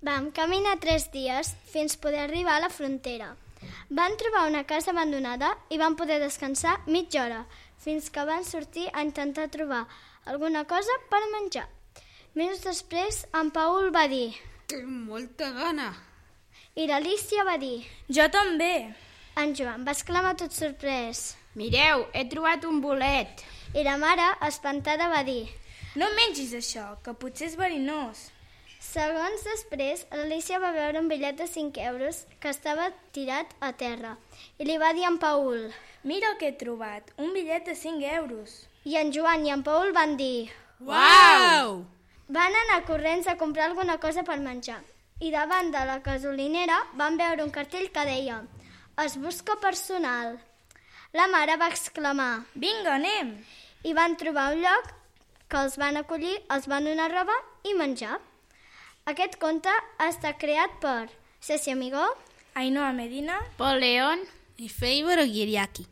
Vam caminar 3 dies fins poder arribar a la frontera. Van trobar una casa abandonada i van poder descansar mitja hora, fins que van sortir a intentar trobar alguna cosa per menjar. Minuts després, en Paul va dir: Tinc molta gana. I l'Alícia va dir: Jo també. En Joan va exclamar tot sorprès. Mireu, he trobat un bolet. I la mare, espantada, va dir: No mengis això, que potser és verinós. Segons després, l'Alícia va veure un bitllet de 5 euros que estava tirat a terra i li va dir a en Paul: Mira el que he trobat, un bitllet de 5 euros. I en Joan i en Paul van dir: Uau! Van anar corrents a comprar alguna cosa per menjar i davant de la gasolinera van veure un cartell que deia: Es busca personal. La mare va exclamar: Vinga, anem! I van trobar un lloc que els van acollir, els van donar roba i menjar. Aquest conte ha estat creat per Ceci Amigó, Ainhoa Medina, Pol León i Fei Boroguiriaki.